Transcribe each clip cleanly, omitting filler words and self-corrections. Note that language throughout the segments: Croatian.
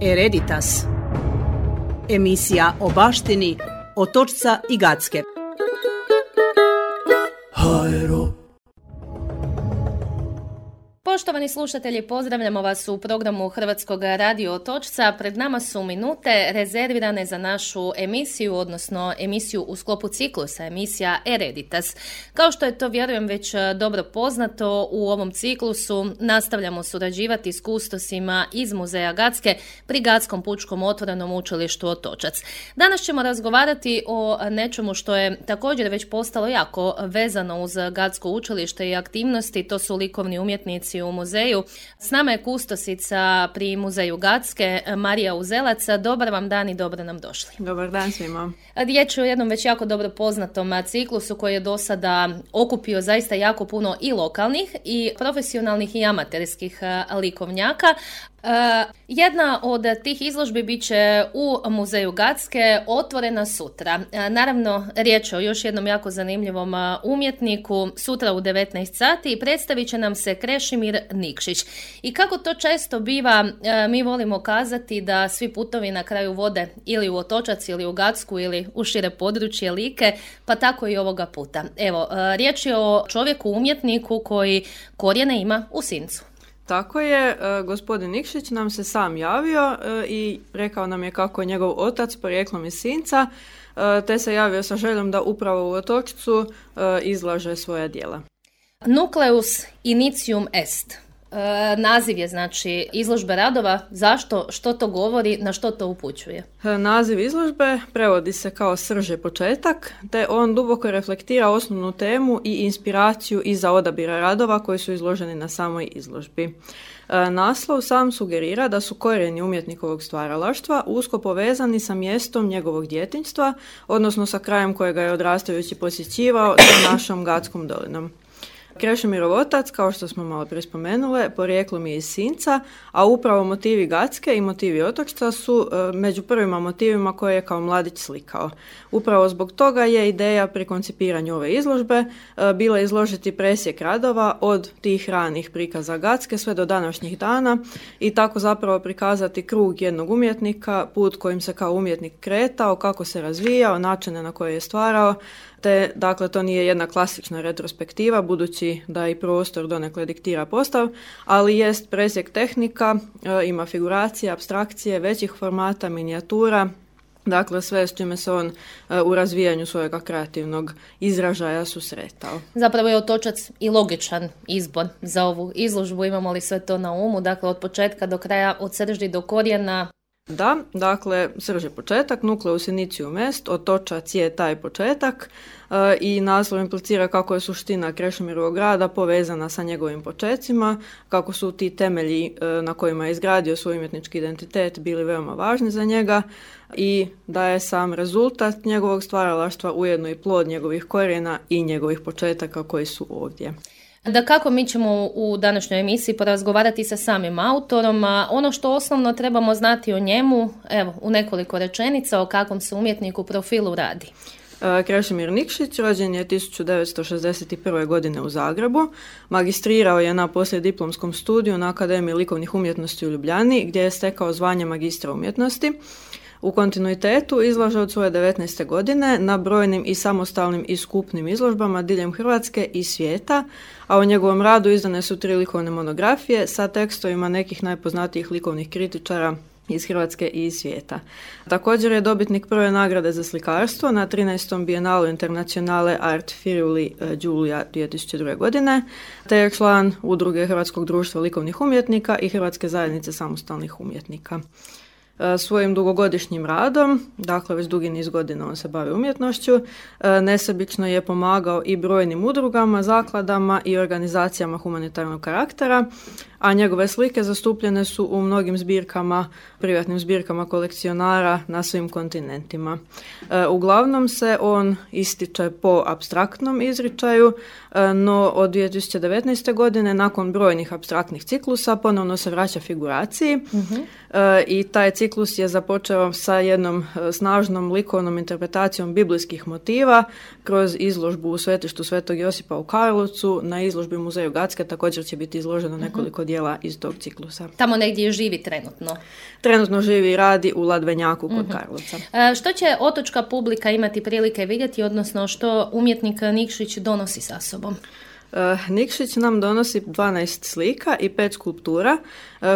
Hereditas. Emisija o baštini Otočca i Gacke. Poštovani slušatelji, pozdravljamo vas u programu Hrvatskog radio Otočca. Pred nama su minute rezervirane za našu emisiju, odnosno emisiju u sklopu ciklusa, emisija Hereditas. Kao što je to, vjerujem, već dobro poznato, u ovom ciklusu nastavljamo surađivati s kustosima iz Muzeja Gacke pri Gackom pučkom otvorenom učilištu Otočac. Danas ćemo razgovarati o nečemu što je također već postalo jako vezano uz Gacko učilište i aktivnosti, to su likovni umjetnici u muzeju. S nama je kustosica pri Muzeju Gacke, Marija Uzelac. Dobar vam dan i dobro nam došli. Dobar dan svima. Riječ je o jednom već jako dobro poznatom ciklusu koji je do sada okupio zaista jako puno i lokalnih i profesionalnih i amaterskih likovnjaka. Jedna od tih izložbi bit će u Muzeju Gacke, otvorena sutra. Naravno, riječ je o još jednom jako zanimljivom umjetniku. Sutra u 19 sati predstavit će nam se Krešimir Nikšić. I kako to često biva, mi volimo kazati da svi putovi na kraju vode ili u Otočac ili u Gacku ili u šire područje Like, pa tako i ovoga puta. Evo, riječ je o čovjeku umjetniku koji korijene ima u Sincu. Tako je, gospodin Nikšić nam se sam javio i rekao nam je kako je njegov otac porijeklom iz Sinca, te se javio sa željom da upravo u Otočcu izlaže svoja djela. Nucleus initium est. Naziv je znači izložbe radova. Zašto? Što to govori? Na što to upućuje? Naziv izložbe prevodi se kao srž je početak, te on duboko reflektira osnovnu temu i inspiraciju iza odabira radova koji su izloženi na samoj izložbi. Naslov sam sugerira da su korijeni umjetnikovog stvaralaštva usko povezani sa mjestom njegovog djetinjstva, odnosno sa krajem kojega je odrastajući posjećivao, sa našom Gackom dolinom. Krešimirov otac, kao što smo malo prije spomenule, porijeklom je iz Sinca, a upravo motivi Gacke i motivi Otočca su među prvima motivima koje je kao mladić slikao. Upravo zbog toga je ideja pri koncipiranju ove izložbe bila izložiti presjek radova od tih ranih prikaza Gacke sve do današnjih dana i tako zapravo prikazati krug jednog umjetnika, put kojim se kao umjetnik kretao, kako se razvijao, načine na koje je stvarao, te dakle to nije jedna klasična retrospektiva budući da i prostor donekle diktira postav, ali jest presjek tehnika, ima figuracije, apstrakcije, većih formata, minijatura, dakle sve s čime se on u razvijanju svojega kreativnog izražaja susretao. Zapravo je Otočac i logičan izbor za ovu izložbu, imamo li sve to na umu, dakle od početka do kraja, od srži do korijena. Da, dakle, srž je početak, nucleus initium est, Otočac je taj početak i naslov implicira kako je suština Krešimirovog rada povezana sa njegovim počecima, kako su ti temelji na kojima je izgradio svoj umjetnički identitet bili veoma važni za njega i da je sam rezultat njegovog stvaralaštva ujedno i plod njegovih korijena i njegovih početaka koji su ovdje. Dakako, mi ćemo u današnjoj emisiji porazgovarati sa samim autorom, a ono što osnovno trebamo znati o njemu, evo, u nekoliko rečenica o kakvom se umjetniku profilu radi. Krešimir Nikšić rođen je 1961. godine u Zagrebu, magistrirao je na poslijediplomskom studiju na Akademiji likovnih umjetnosti u Ljubljani gdje je stekao zvanje magistra umjetnosti. U kontinuitetu izlaže od svoje 19. godine na brojnim i samostalnim i skupnim izložbama diljem Hrvatske i svijeta, a u njegovom radu izdane su 3 likovne monografije sa tekstovima nekih najpoznatijih likovnih kritičara iz Hrvatske i iz svijeta. Također je dobitnik prve nagrade za slikarstvo na 13. Bijenalu Internacionale Art Friuli Giulia 2002. godine, te je član Udruge Hrvatskog društva likovnih umjetnika i Hrvatske zajednice samostalnih umjetnika. Svojim dugogodišnjim radom, dakle već dugi niz godina on se bavi umjetnošću, nesebično je pomagao i brojnim udrugama, zakladama i organizacijama humanitarnog karaktera, a njegove slike zastupljene su u mnogim zbirkama, privatnim zbirkama kolekcionara na svim kontinentima. Uglavnom se on ističe po apstraktnom izričaju, no od 2019. godine nakon brojnih apstraktnih ciklusa ponovno se vraća figuraciji i taj ciklus je započeo sa jednom snažnom likovnom interpretacijom biblijskih motiva kroz izložbu u svetištu Svetog Josipa u Karlovcu. Na izložbi u Muzeju Gacke također će biti izloženo nekoliko dijela iz tog ciklusa. Tamo negdje živi trenutno? Trenutno živi i radi u Ladvenjaku kod Karlovca. Što će otočka publika imati prilike vidjeti, odnosno što umjetnik Nikšić donosi sa sobom? Nikšić nam donosi 12 slika i 5 skulptura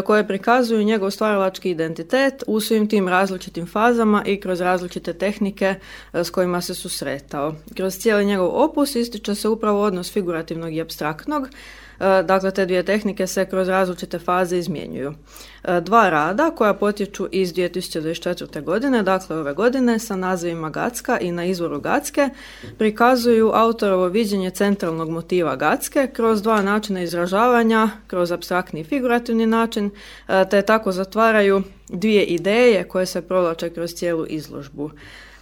koje prikazuju njegov stvaralački identitet u svim tim različitim fazama i kroz različite tehnike s kojima se susretao. Kroz cijeli njegov opus ističe se upravo odnos figurativnog i apstraktnog. Dakle, te dvije tehnike se kroz različite faze izmjenjuju. 2 rada koja potječu iz 2024. godine, dakle ove godine, sa nazivima Gacka i Na izvoru Gacke, prikazuju autorovo viđenje centralnog motiva Gacke kroz 2 načina izražavanja, kroz apstraktni i figurativni način, te tako zatvaraju 2 ideje koje se provlače kroz cijelu izložbu.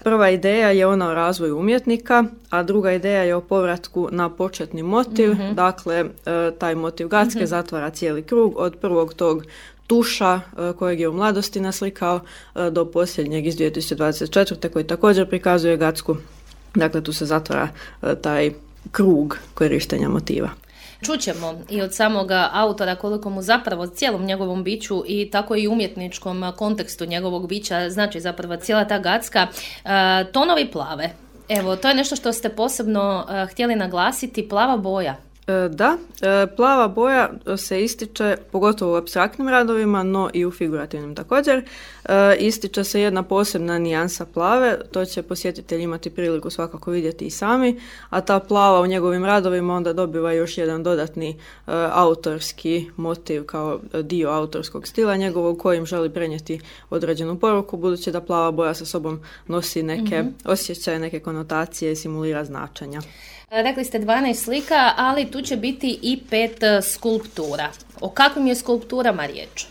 Prva ideja je ona o razvoju umjetnika, a druga ideja je o povratku na početni motiv. Dakle, taj motiv Gacke zatvara cijeli krug od prvog tog tuša kojeg je u mladosti naslikao do posljednjeg iz 2024. koji također prikazuje Gacku. Dakle, tu se zatvara taj krug korištenja motiva. Čućemo i od samoga autora koliko mu zapravo cijelom njegovom biću i tako i umjetničkom kontekstu njegovog bića znači zapravo cijela ta Gacka. Tonovi plave. Evo, to je nešto što ste posebno htjeli naglasiti, plava boja. Da, plava boja se ističe pogotovo u apstraktnim radovima, no i u figurativnim također. Ističe se jedna posebna nijansa plave, to će posjetitelji imati priliku svakako vidjeti i sami, a ta plava u njegovim radovima onda dobiva još jedan dodatni autorski motiv kao dio autorskog stila njegovog kojim želi prenijeti određenu poruku, budući da plava boja sa sobom nosi neke osjećaje, neke konotacije i simulira značenja. Rekli ste 12 slika, ali tu će biti i 5 skulptura. O kakvim je skulpturama riječ?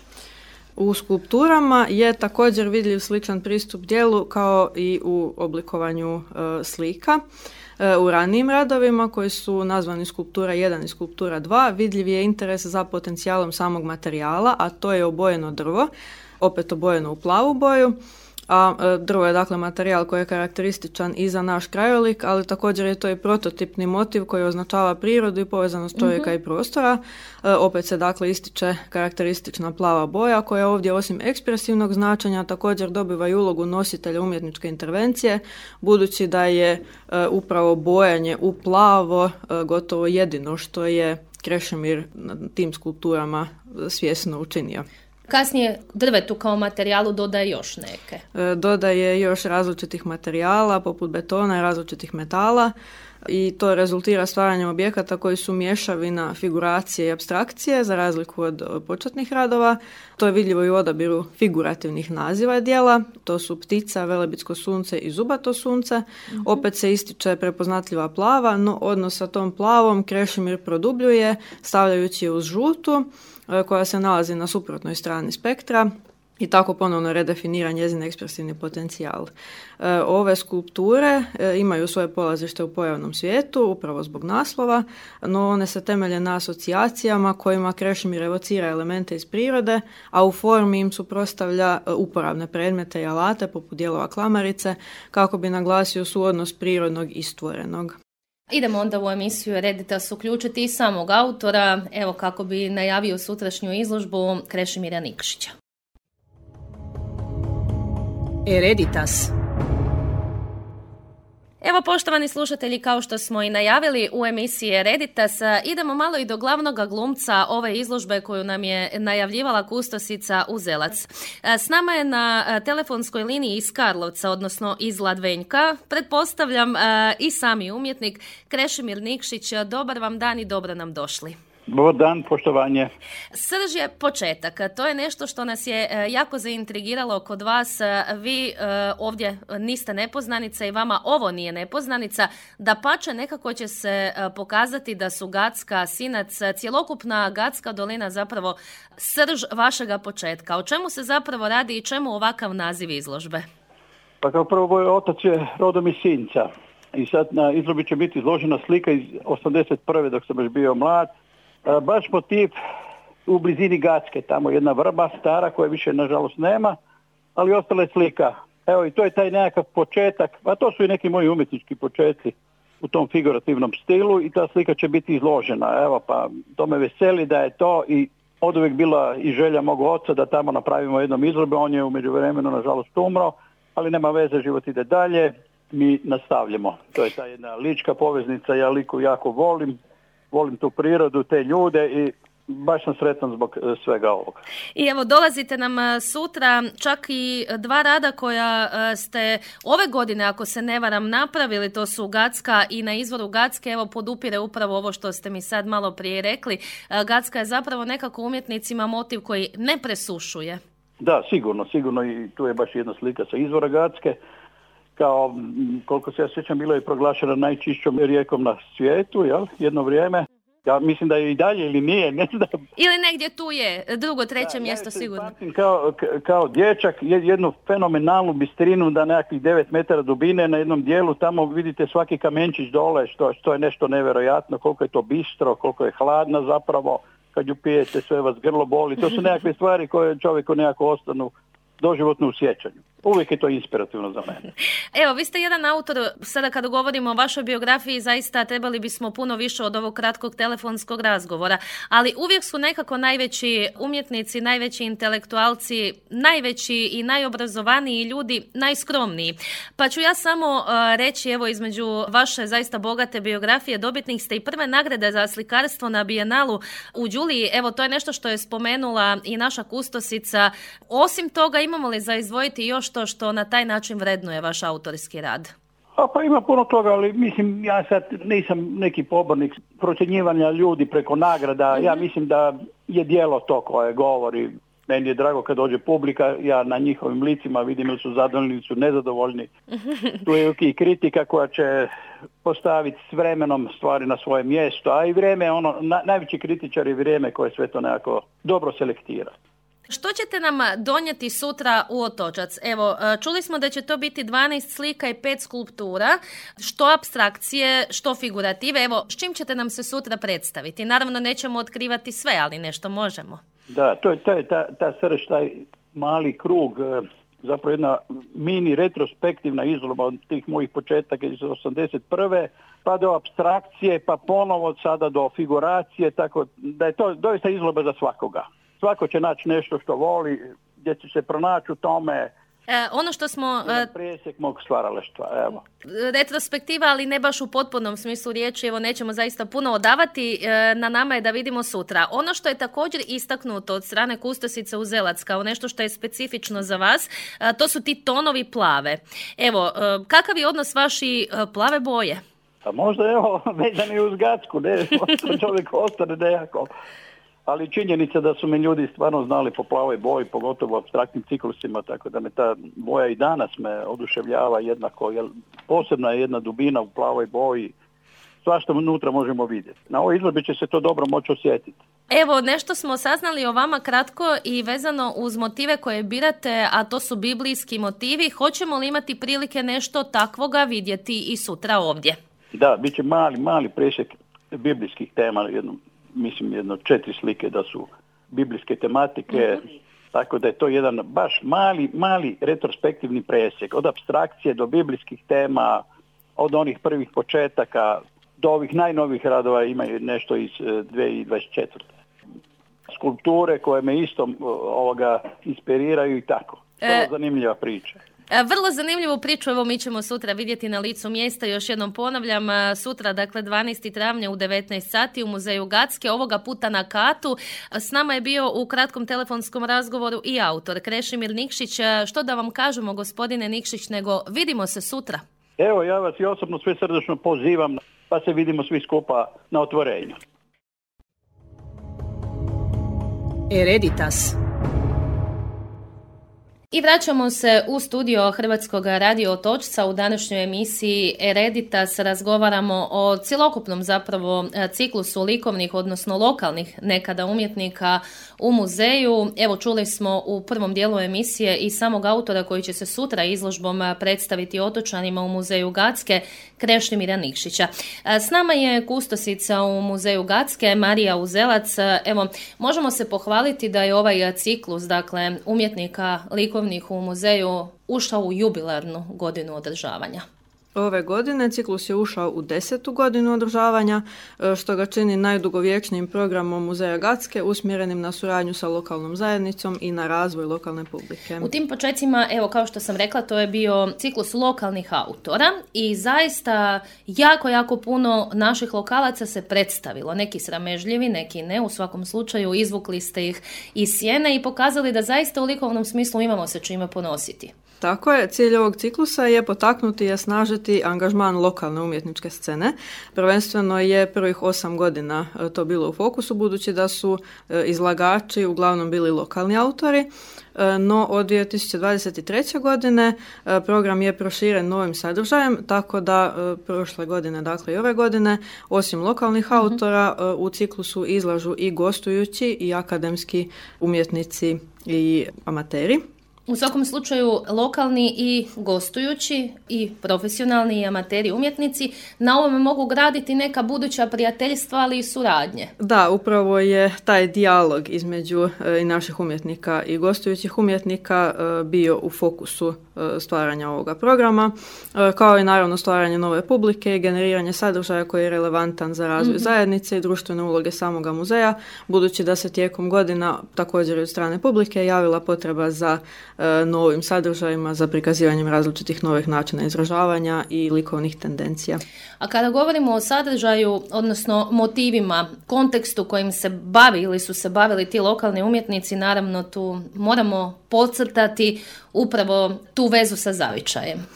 U skulpturama je također vidljiv sličan pristup djelu kao i u oblikovanju slika. U ranijim radovima koji su nazvani skulptura 1 i skulptura 2 vidljiv je interes za potencijalom samog materijala, a to je obojeno drvo, opet obojeno u plavu boju. A drvo je dakle materijal koji je karakterističan i za naš krajolik, ali također je to i prototipni motiv koji označava prirodu i povezanost čovjeka i prostora. Opet se dakle ističe karakteristična plava boja koja ovdje osim ekspresivnog značenja također dobiva i ulogu nositelja umjetničke intervencije, budući da je upravo bojanje u plavo gotovo jedino što je Krešimir na tim skulpturama svjesno učinio. Kasnije drvetu kao materijalu dodaje još neke. Dodaje još različitih materijala poput betona i različitih metala i to rezultira stvaranjem objekata koji su mješavina figuracije i apstrakcije za razliku od početnih radova. To je vidljivo i u odabiru figurativnih naziva djela. To su ptica, velebitsko sunce i zubato sunce. Opet se ističe prepoznatljiva plava, no odnos sa tom plavom Krešimir produbljuje stavljajući je uz žutu koja se nalazi na suprotnoj strani spektra i tako ponovno redefinira njezin ekspresivni potencijal. Ove skulpture imaju svoje polazište u pojavnom svijetu, upravo zbog naslova, no one se temelje na asocijacijama kojima Krešimir evocira elemente iz prirode, a u formi im suprotstavlja uporabne predmete i alate poput dijelova klamarice kako bi naglasio suodnos prirodnog i stvorenog. Idemo onda u emisiju Ereditas uključiti i samog autora, evo kako bi najavio sutrašnju izložbu Krešimira Nikšića. Ereditas. Evo, poštovani slušatelji, kao što smo i najavili u emisiji Ereditas, idemo malo i do glavnog glumca ove izložbe koju nam je najavljivala kustosica Uzelac. S nama je na telefonskoj liniji iz Karlovca, odnosno iz Ladvenjka, pretpostavljam i sami umjetnik Krešimir Nikšić. Dobar vam dan i dobro nam došli. Dobar dan, poštovanje. Srž je početak. To je nešto što nas je jako zaintrigiralo kod vas. Vi ovdje niste nepoznanica i vama ovo nije nepoznanica. Dapače, nekako će se pokazati da su Gacka, Sinac, cjelokupna Gacka dolina zapravo srž vašega početka. O čemu se zapravo radi i čemu ovakav naziv izložbe? Pa kao prvo, moj otac je rodom iz Sinca. I sad na izložbi će biti izložena slika iz 81. dok sam još bio mlad. Baš motiv u blizini Gacke, tamo jedna vrba stara koja više nažalost nema, ali ostala je slika. Evo i to je taj nekakav početak, a to su i neki moji umjetnički početci u tom figurativnom stilu i ta slika će biti izložena. Evo pa to me veseli da je to i oduvijek bila i želja mog oca da tamo napravimo jednom izložbu. On je u međuvremenu nažalost umro, ali nema veze, život ide dalje, mi nastavljamo. To je ta jedna lička poveznica, ja Liku jako volim tu prirodu, te ljude i baš sam sretan zbog svega ovoga. I evo, dolazite nam sutra čak i 2 rada koja ste ove godine, ako se ne varam, napravili, to su Gacka i Na izvoru Gacke, evo podupire upravo ovo što ste mi sad malo prije rekli. Gacka je zapravo nekako umjetnicima motiv koji ne presušuje. Da, sigurno i tu je baš jedna slika sa izvora Gacke. Kao, koliko se ja sjećam, bila je proglašena najčišćom rijekom na svijetu, jel? Jedno vrijeme. Ja mislim da je i dalje ili nije, ne znam. Ili negdje tu je, 2., 3. mjesto sigurno. Kao dječak, jednu fenomenalnu bistrinu da nekakvih 9 metara dubine na jednom dijelu, tamo vidite svaki kamenčić dole, što je nešto nevjerojatno, koliko je to bistro, koliko je hladna zapravo, kad ju pijete sve vas grlo boli. To su nekakve stvari koje čovjeku nekako ostanu doživotno u sjećanju. Uvijek je to inspirativno za mene. Evo, vi ste jedan autor, sada kada govorimo o vašoj biografiji, zaista trebali bismo puno više od ovog kratkog telefonskog razgovora, ali uvijek su nekako najveći umjetnici, najveći intelektualci, najveći i najobrazovaniji ljudi najskromniji. Pa ću ja samo reći, evo, između vaše zaista bogate biografije, dobitnik ste i prve nagrade za slikarstvo na Bijenalu u Đuliji. Evo, to je nešto što je spomenula i naša kustosica. Osim toga, imamo li za izdvojiti još to što na taj način vrednuje vaš autorski rad? Pa ima puno toga, ali mislim, ja sad nisam neki pobornik procjenjivanja ljudi preko nagrada. Ja mislim da je djelo to koje govori. Meni je drago kad dođe publika, ja na njihovim licima vidim ili su zadovoljni ili su nezadovoljni. Tu je i kritika koja će postaviti s vremenom stvari na svoje mjesto, a i vrijeme, najveći kritičar je vrijeme koje sve to nekako dobro selektira. Što ćete nam donijeti sutra u Otočac? Evo, čuli smo da će to biti 12 slika i 5 skulptura, što apstrakcije, što figurative. Evo, s čim ćete nam se sutra predstaviti? Naravno, nećemo otkrivati sve, ali nešto možemo. Da, to je ta srž, taj mali krug, zapravo jedna mini retrospektivna izložba od tih mojih početaka iz 81. pa do apstrakcije, pa ponovo sada do figuracije, tako da je to doista izložba za svakoga. Svako će naći nešto što voli, gdje će se pronaći u tome. Ono što smo... presjek mog stvaralaštva, evo. Retrospektiva, ali ne baš u potpunom smislu riječi, evo nećemo zaista puno odavati, na nama je da vidimo sutra. Ono što je također istaknuto od strane kustosice Uzelac kao nešto što je specifično za vas, to su ti tonovi plave. Evo, kakav je odnos vaši plave boje? Pa možda evo, vezani uz Gacku, ne, čovjek ostane nekako. Ali činjenica da su me ljudi stvarno znali po plavoj boji, pogotovo u apstraktnim ciklusima, tako da me ta boja i danas me oduševljava jednako, jer posebna je jedna dubina u plavoj boji, svašta unutra možemo vidjeti. Na ovoj izložbi će se to dobro moći osjetiti. Evo, nešto smo saznali o vama kratko i vezano uz motive koje birate, a to su biblijski motivi. Hoćemo li imati prilike nešto takvoga vidjeti i sutra ovdje? Da, bit će mali presjek biblijskih tema, mislim 4 slike da su biblijske tematike, tako da je to jedan baš mali retrospektivni presjek. Od apstrakcije do biblijskih tema, od onih prvih početaka do ovih najnovih radova, imaju nešto iz 2024. Skulpture koje me isto inspiriraju i tako. To je zanimljiva priča. Vrlo zanimljivu priču, evo mi ćemo sutra vidjeti na licu mjesta, još jednom ponavljam, sutra, dakle 12. travnja u 19 sati u muzeju Gacke, ovoga puta na katu. S nama je bio u kratkom telefonskom razgovoru i autor Krešimir Nikšić. Što da vam kažemo, gospodine Nikšić, nego vidimo se sutra. Evo, ja vas i osobno sve srdečno pozivam, pa se vidimo svi skupa na otvorenju. Hereditas. I vraćamo se u studio Hrvatskog radio Otočca. U današnjoj emisiji Hereditas razgovaramo o cjelokupnom zapravo ciklusu likovnih, odnosno lokalnih nekada umjetnika u muzeju. Evo, čuli smo u prvom dijelu emisije i samog autora koji će se sutra izložbom predstaviti otočanima u muzeju Gacke, Krešimira Nikšića. S nama je kustosica u muzeju Gacke, Marija Uzelac. Evo, možemo se pohvaliti da je ovaj ciklus, dakle, umjetnika likovnih u muzeju ušao u jubilarnu godinu održavanja. Ove godine ciklus je ušao u 10. godinu održavanja, što ga čini najdugovječnijim programom Muzeja Gacke usmjerenim na suradnju sa lokalnom zajednicom i na razvoj lokalne publike. U tim počecima, evo kao što sam rekla, to je bio ciklus lokalnih autora i zaista jako puno naših lokalaca se predstavilo. Neki sramežljivi, neki ne, u svakom slučaju izvukli ste ih iz sjene i pokazali da zaista u likovnom smislu imamo se čime ponositi. Tako je, cilj ovog ciklusa je potaknuti i osnažiti angažman lokalne umjetničke scene. Prvenstveno je prvih 8 godina to bilo u fokusu, budući da su izlagači uglavnom bili lokalni autori, no od 2023. godine program je proširen novim sadržajem, tako da prošle godine, dakle i ove godine, osim lokalnih autora, u ciklusu izlažu i gostujući i akademski umjetnici i amateri. U svakom slučaju lokalni i gostujući i profesionalni i amateri umjetnici na ovome mogu graditi neka buduća prijateljstva, ali i suradnje. Da, upravo je taj dijalog između i naših umjetnika i gostujućih umjetnika bio u fokusu stvaranja ovoga programa, kao i naravno stvaranje nove publike i generiranje sadržaja koji je relevantan za razvoj zajednice i društvene uloge samoga muzeja, budući da se tijekom godina također od strane publike javila potreba za novim sadržajima, za prikazivanjem različitih novih načina izražavanja i likovnih tendencija. A kada govorimo o sadržaju, odnosno motivima, kontekstu kojim se bavi ili su se bavili ti lokalni umjetnici, naravno tu moramo podcrtati upravo tu vezu sa zavičajem.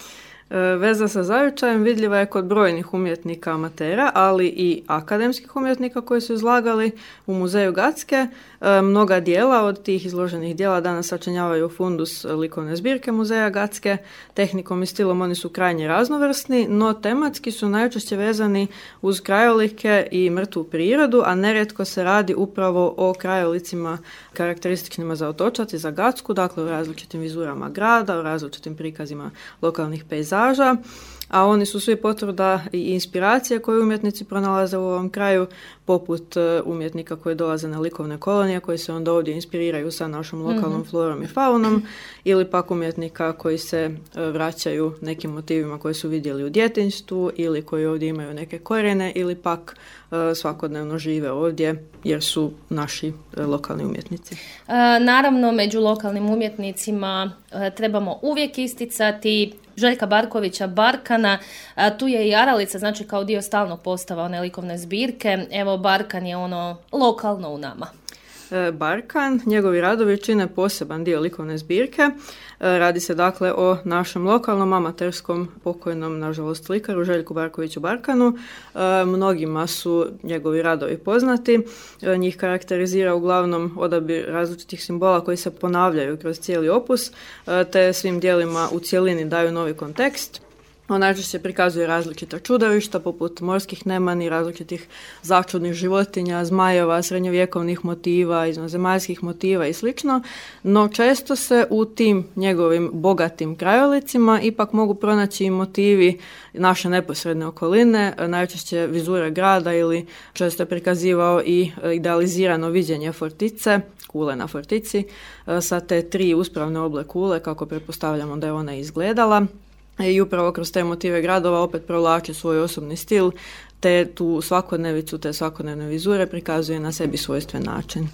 Veza sa zavičajem vidljiva je kod brojnih umjetnika amatera, ali i akademskih umjetnika koji su izlagali u Muzeju Gacke. Mnoga dijela od tih izloženih dijela danas sačinjavaju fundus likovne zbirke Muzeja Gacke. Tehnikom i stilom oni su krajnje raznovrsni, no tematski su najčešće vezani uz krajolike i mrtvu prirodu, a nerijetko se radi upravo o krajolicima karakterističnima za Otočac i za Gacku, dakle u različitim vizurama grada, u različitim prikazima lokalnih pejzaža, a oni su svi potvrda i inspiracije koje umjetnici pronalaze u ovom kraju, poput umjetnika koji dolaze na likovne kolonije, koji se onda ovdje inspiriraju sa našom lokalnom florom i faunom, ili pak umjetnika koji se vraćaju nekim motivima koje su vidjeli u djetinjstvu ili koji ovdje imaju neke korijene ili pak svakodnevno žive ovdje jer su naši lokalni umjetnici. Naravno, među lokalnim umjetnicima trebamo uvijek isticati Željka Barkovića Barkana, tu je i Aralica, znači kao dio stalnog postava one likovne zbirke. Evo, Barkan je ono lokalno u nama. Barkan, njegovi radovi čine poseban dio likovne zbirke. Radi se dakle o našem lokalnom amaterskom pokojnom, nažalost, slikaru Željku Barkoviću Barkanu. Mnogima su njegovi radovi poznati. Njih karakterizira uglavnom odabir različitih simbola koji se ponavljaju kroz cijeli opus, te svim dijelima u cjelini daju novi kontekst. On najčešće prikazuje različita čudovišta poput morskih nemani, različitih začudnih životinja, zmajeva, srednjovjekovnih motiva, izvanzemaljskih motiva i sl. No često se u tim njegovim bogatim krajolicima ipak mogu pronaći i motivi naše neposredne okoline, najčešće vizure grada ili često je prikazivao i idealizirano viđenje fortice, kule na fortici, sa te 3 uspravne oble kule, kako pretpostavljamo da je ona izgledala. I upravo kroz te motive gradova opet provlači svoj osobni stil, te tu svakodnevicu, te svakodnevne vizure prikazuje na sebi svojstven način.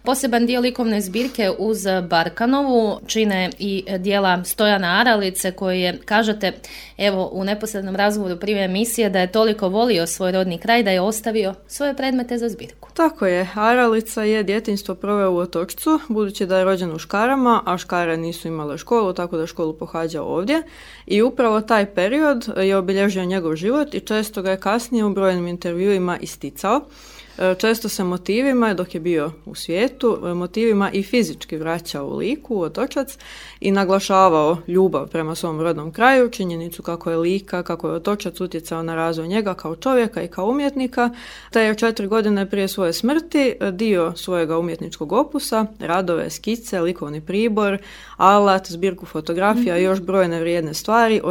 Poseban dio likovne zbirke uz Barkanovu čine i dijela Stojana Aralice koji je, kažete, evo u neposrednom razgovoru prije emisije, da je toliko volio svoj rodni kraj da je ostavio svoje predmete za zbirku. Tako je, Aralica je djetinjstvo proveo u Otočcu, budući da je rođen u Škarama, a Škare nisu imale školu, tako da je školu pohađao ovdje. I upravo taj period je obilježio njegov život i često ga je kasnije u brojnim intervjuima isticao. Često se motivima, dok je bio u svijetu, motivima i fizički vraćao u Liku, u Otočac i naglašavao ljubav prema svom rodnom kraju, činjenicu kako je Lika, kako je Otočac utjecao na razvoj njega kao čovjeka i kao umjetnika, te je 4 godine prije svoje smrti dio svojega umjetničkog opusa, radove, skice, likovni pribor, alat, zbirku fotografija i još brojne vrijedne stvari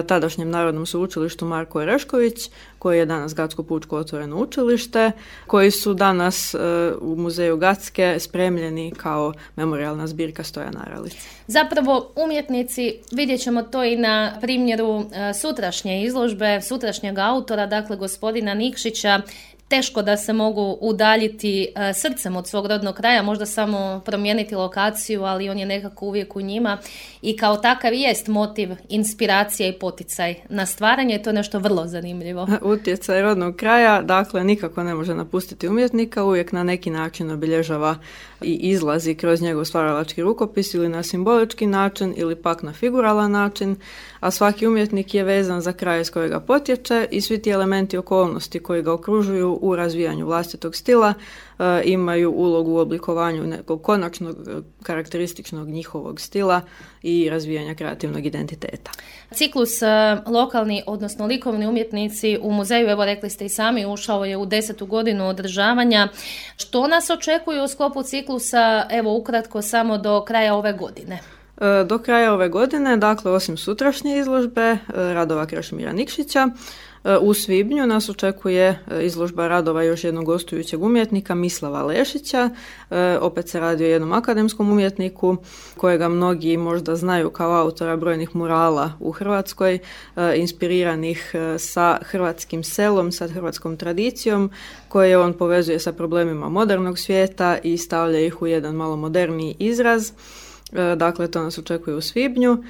tadašnjem Narodnom sveučilištu Marko Orešković, koji je danas Gatsko pučko otvoreno učilište, učilište, koji su danas u muzeju Gacke spremljeni kao memorijalna zbirka Stojana Aralice. Zapravo umjetnici, vidjet ćemo to i na primjeru sutrašnje izložbe, sutrašnjeg autora, dakle gospodina Nikšića, teško da se mogu udaljiti srcem od svog rodnog kraja, možda samo promijeniti lokaciju, ali on je nekako uvijek u njima i kao takav jest motiv, inspiracija i poticaj na stvaranje, to je nešto vrlo zanimljivo. Utjecaj rodnog kraja, dakle, nikako ne može napustiti umjetnika, uvijek na neki način obilježava i izlazi kroz njegov stvaralački rukopis ili na simbolički način ili pak na figuralan način, a svaki umjetnik je vezan za kraj iz kojega potječe i svi ti elementi okolnosti koji ga okružuju u razvijanju vlastitog stila imaju ulogu u oblikovanju nekog konačnog karakterističnog njihovog stila i razvijanja kreativnog identiteta. Ciklus lokalni, odnosno likovni umjetnici u muzeju, evo rekli ste i sami, ušao je u 10. godinu održavanja. Što nas očekuje u sklopu ciklusa, evo ukratko samo do kraja ove godine? Do kraja ove godine, dakle osim sutrašnje izložbe radova Krešimira Nikšića, u svibnju nas očekuje izložba radova još jednog gostujućeg umjetnika, Mislava Lešića. Opet se radi o jednom akademskom umjetniku kojega mnogi možda znaju kao autora brojnih murala u Hrvatskoj, inspiriranih sa hrvatskim selom, sa hrvatskom tradicijom, koje on povezuje sa problemima modernog svijeta i stavlja ih u jedan malo moderniji izraz. Dakle, to nas očekuje u svibnju.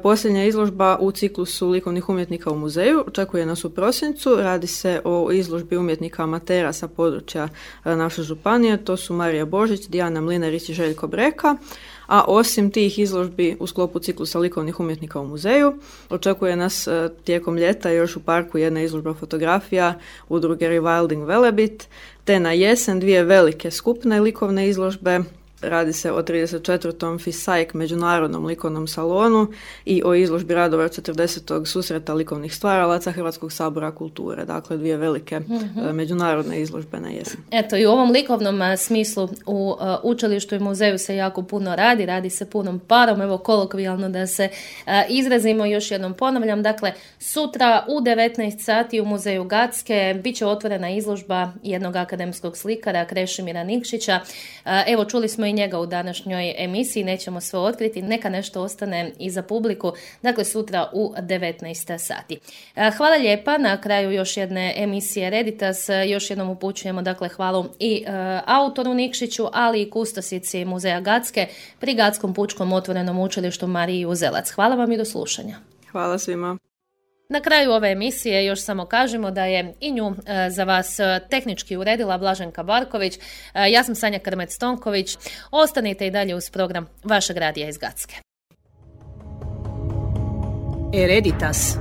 Posljednja izložba u ciklusu likovnih umjetnika u muzeju očekuje nas u prosincu. Radi se o izložbi umjetnika amatera sa područja naše županije. To su Marija Božić, Dijana Mlinarić i Željko Breka. A osim tih izložbi u sklopu ciklusa likovnih umjetnika u muzeju, očekuje nas tijekom ljeta još u parku jedna izložba fotografija udruge Rewilding Velebit, te na jesen dvije velike skupne likovne izložbe. Radi se o 34. FISAIK međunarodnom likovnom salonu i o izložbi radova 40. susreta likovnih stvaralaca Hrvatskog sabora kulture. Dakle, dvije velike međunarodne izložbe na jesen. Eto, i u ovom likovnom smislu u učilištu i muzeju se jako puno radi se punom parom, evo kolokvijalno da se izrazimo, još jednom ponavljam. Dakle, sutra u 19 sati u muzeju Gacke bit će otvorena izložba jednog akademskog slikara Krešimira Nikšića. Evo, čuli smo i njega u današnjoj emisiji, nećemo sve otkriti, neka nešto ostane i za publiku, dakle sutra u 19 sati. Hvala lijepa, na kraju još jedne emisije Reditas, još jednom upućujemo dakle hvalu i autoru Nikšiću, ali i kustosici muzeja Gacke pri Gackom pučkom otvorenom učilištu Mariji Uzelac. Hvala vam i do slušanja. Hvala svima. Na kraju ove emisije još samo kažemo da je i nju za vas tehnički uredila Blaženka Barković. Ja sam Sanja Krmec-Tonković. Ostanite i dalje uz program vašeg radija iz Gacke. Hereditas.